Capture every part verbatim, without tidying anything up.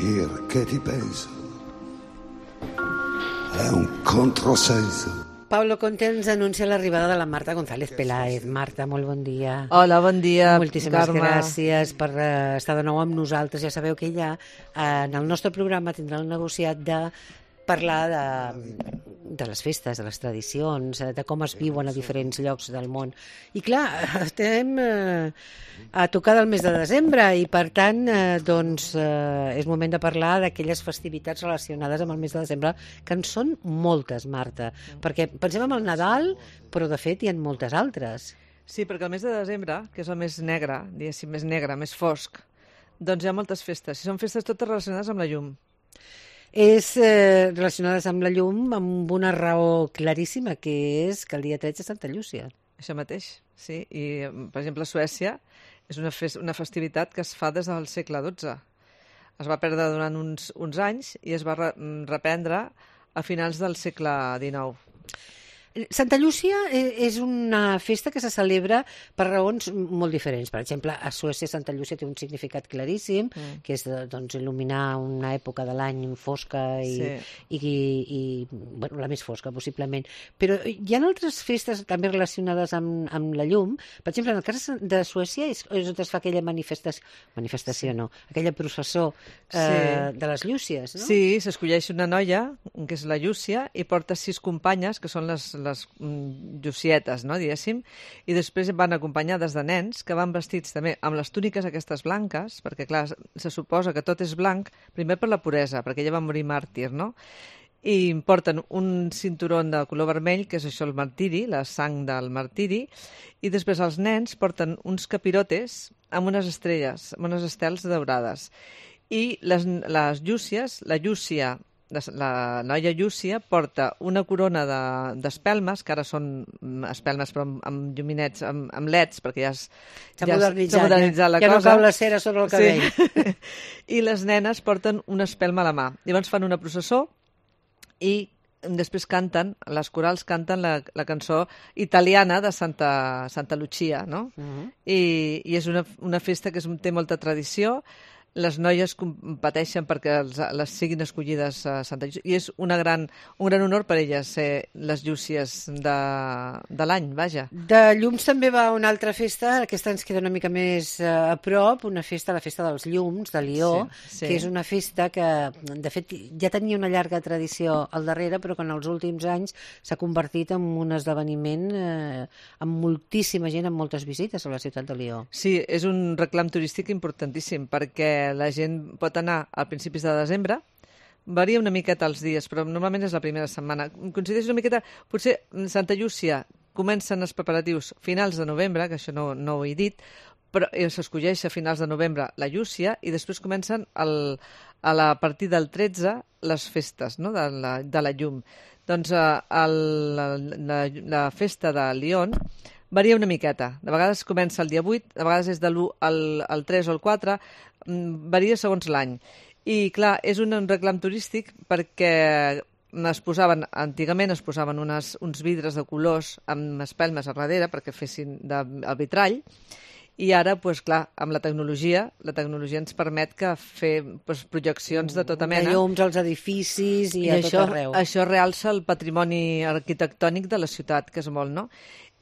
perché ti penso. È un controsenso. Pablo Conte ens anuncia l'arribada de la Marta González Peláez. Marta, molt bon dia. Hola, bon dia, Moltíssimes Carme. gràcies per uh, estar de nou amb nosaltres. Ja sabeu que ella uh, en el nostre programa tindrà el negociat de parlar de, de les festes, de les tradicions, de com es viuen a diferents llocs del món. I clar, estem eh, a tocar del mes de desembre i per tant eh, doncs, eh, és moment de parlar d'aquelles festivitats relacionades amb el mes de desembre, que en són moltes, Marta, perquè pensem en el Nadal, però de fet hi ha moltes altres. Sí, perquè el mes de desembre, que és el més negre, diguéssim, més negre, més fosc, doncs hi ha moltes festes, i són festes totes relacionades amb la llum. És eh, relacionades amb la llum amb una raó claríssima, que és que el dia tretze és Santa Llúcia. Això mateix, sí. I, per exemple, a Suècia és una, fes una festivitat que es fa des del segle dotze. Es va perdre durant uns, uns anys i es va re reprendre a finals del segle dinou. Santa Llúcia és una festa que se celebra per raons molt diferents. Per exemple, a Suècia Santa Llúcia té un significat claríssim, mm. que és de, doncs, il·luminar una època de l'any fosca i, sí. i, i, i bueno, la més fosca, possiblement. Però hi ha altres festes també relacionades amb, amb la llum. Per exemple, en el cas de Suècia és, és on es fa aquella manifestació, manifestació sí. no, aquella processó eh, sí. de les llúcies, no? Sí, s'escolleix una noia, que és la Llúcia, i porta sis companyes, que són les les llucietes, no, diguéssim, i després van acompanyades de nens que van vestits també amb les túniques aquestes blanques, perquè clar, se suposa que tot és blanc, primer per la puresa, perquè ella va morir màrtir, no? I porten un cinturó de color vermell, que és això el martiri, la sang del martiri, i després els nens porten uns capirotes amb unes estrelles, amb unes estels daurades. I les, les llúcies, la llúcia, la noia Llúcia porta una corona d'espelmes, de, que ara són espelmes però amb, amb lluminets, amb, amb leds, perquè ja s'ha ja modernitzat, modernitzat la ja cosa. Ja no cau la cera sobre el cabell. Sí. I les nenes porten una espelma a la mà. Llavors fan una processó i després canten, les corals canten la, la cançó italiana de Santa, Santa Lucia, no? Uh -huh. I, i és una, una festa que és, té molta tradició. Les noies competeixen perquè els, les siguin escollides a Santa Llúcia i és una gran, un gran honor per elles ser les llúcies de, de l'any, vaja. De llums també va una altra festa, aquesta ens queda una mica més uh, a prop, una festa, la festa dels llums, de Lió, sí, sí. que és una festa que, de fet, ja tenia una llarga tradició al darrere, però que en els últims anys s'ha convertit en un esdeveniment eh, amb moltíssima gent, amb moltes visites a la ciutat de Lió. Sí, és un reclam turístic importantíssim, perquè la gent pot anar a principis de desembre, varia una miqueta els dies, però normalment és la primera setmana. Coincideix una miqueta, potser Santa Llúcia comencen els preparatius finals de novembre, que això no, no ho he dit, però s'escolleix a finals de novembre la Llúcia i després comencen el, a la partir del tretze les festes, no?, de, la, de la llum. Doncs el, la, la, la festa de Lió varia una miqueta. De vegades comença el dia vuit, de vegades és de l'u al, al tres o al quatre, varia segons l'any. I, clar, és un, un reclam turístic perquè es posaven, antigament es posaven unes, uns vidres de colors amb espelmes a darrere perquè fessin de, el vitrall, i ara, pues, clar, amb la tecnologia, la tecnologia ens permet que fer pues, projeccions de tota mena. De llums als edificis i, I a això, tot arreu. Això realça el patrimoni arquitectònic de la ciutat, que és molt, no?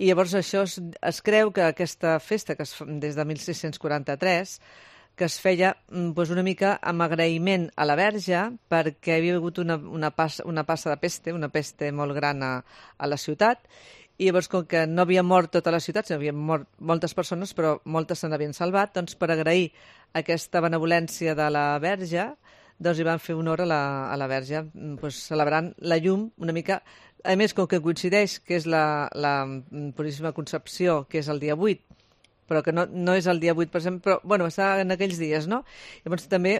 I llavors això es, es creu que aquesta festa, que es fa des de mil sis-cents quaranta-tres, que es feia pues, una mica amb agraïment a la Verge perquè havia hagut una, una, passa, una passa de peste, una peste molt gran a, a la ciutat, i llavors com que no havia mort tota la ciutat, sinó havia mort moltes persones, però moltes se n'havien salvat, doncs per agrair aquesta benevolència de la Verge, doncs hi van fer honor a la, a la Verge, pues, celebrant la llum una mica. A més, com que coincideix que és la, la Puríssima Concepció, que és el dia vuit, però que no, no és el dia vuit, per exemple, però bueno, està en aquells dies, no? Llavors també,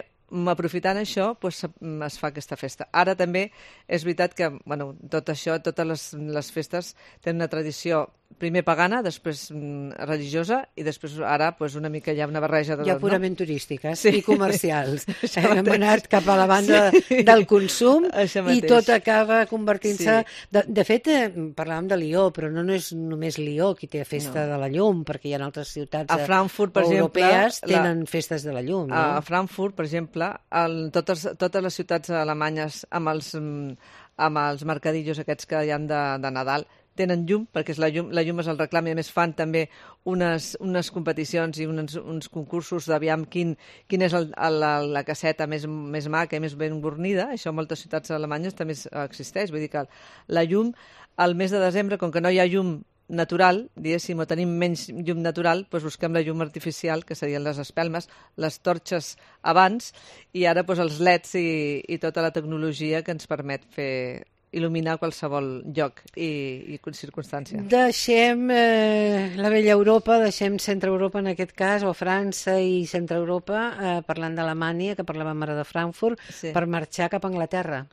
aprofitant això, pues, es fa aquesta festa. Ara també és veritat que bueno, tot això, totes les, les festes tenen una tradició primer pagana, després mm, religiosa i després ara pues, una mica ja una barreja de Ja tot, purament no? turístiques Sí. i comercials. Això Hem mateix. anat cap a la banda Sí. del consum Això i mateix. tot acaba convertint-se... Sí. De, de fet, eh, parlàvem de Lió, però no, no és només Lió qui té festa No. de la llum, perquè hi ha altres ciutats A Frankfurt, per europees exemple, la- tenen festes de la llum, no? A Frankfurt, per exemple, el, totes, totes les ciutats alemanyes amb els, mm, amb els mercadillos aquests que hi ha de, de Nadal tenen llum, perquè és la llum, la llum és el reclam i a més fan també unes, unes competicions i uns, uns concursos d'aviam quin, quin és el, el, la, la caseta més, més maca i més ben bornida. Això en moltes ciutats alemanyes també existeix. Vull dir que la llum, al mes de desembre, com que no hi ha llum natural, diguéssim, o tenim menys llum natural, doncs busquem la llum artificial, que serien les espelmes, les torxes abans, i ara doncs, els leds i, i tota la tecnologia que ens permet fer il·luminar qualsevol lloc i, i circumstància. Deixem eh, la vella Europa, deixem Centre Europa en aquest cas, o França i Centre Europa, eh, parlant d'Alemanya, que parlàvem ara de Frankfurt, Sí. per marxar cap a Anglaterra,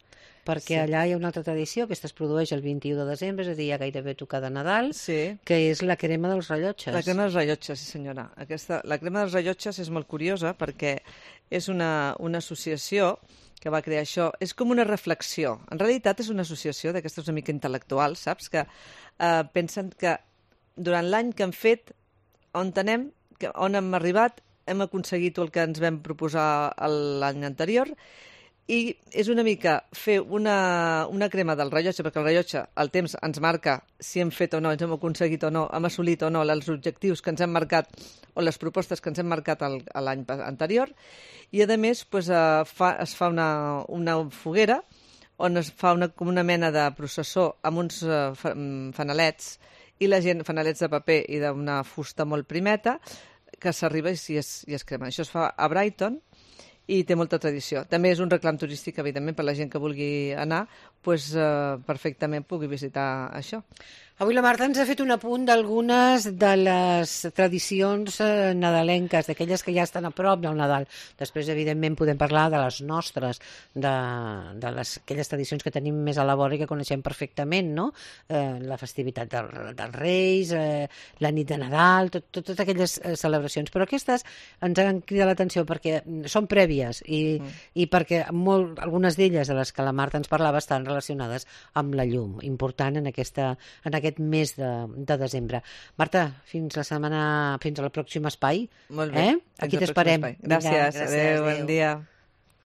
perquè Sí. allà hi ha una altra tradició, aquesta es produeix el vint-i-u de desembre, és a dir, ja gairebé tocar de Nadal, Sí. que és la crema dels rellotges. La crema dels rellotges, sí senyora. Aquesta, la crema dels rellotges és molt curiosa perquè és una, una associació que va crear això. És com una reflexió. En realitat és una associació d'aquestes una mica intel·lectuals, saps? Que eh, pensen que durant l'any que hem fet, on anem, que, on hem arribat, hem aconseguit el que ens vam proposar l'any anterior i és una mica fer una, una crema del rellotge, perquè el rellotge, el temps ens marca si hem fet o no, ens hem aconseguit o no, hem assolit o no els objectius que ens hem marcat o les propostes que ens hem marcat el- l'any pa- anterior, i a més pues, eh, fa, es fa una, una foguera on es fa una, com una mena de processó amb uns eh, fa- mm, fanalets i la gent, fanalets de paper i d'una fusta molt primeta, que s'arriba i si es, i es crema. Això es fa a Brighton i té molta tradició. També és un reclam turístic, evidentment, per la gent que vulgui anar, pues, eh, perfectament pugui visitar això. Avui la Marta ens ha fet un apunt d'algunes de les tradicions eh, nadalenques, d'aquelles que ja estan a prop del Nadal. Després, evidentment, podem parlar de les nostres, de, de les, aquelles tradicions que tenim més a la vora i que coneixem perfectament, no? Eh, la festivitat del, dels Reis, eh, la nit de Nadal, tot, tot, totes aquelles eh, celebracions. Però aquestes ens han cridat l'atenció perquè són prèvies i, mm. i perquè molt, algunes d'elles, de les que la Marta ens parlava, estan relacionades amb la llum, important en, aquesta, en aquest mes de, de desembre. Marta, fins la setmana, fins al pròxim espai. Molt bé. Eh? Fins Aquí al pròxim t'esperem. espai. Gràcies. Vinga, gràcies. Adéu, bon dia.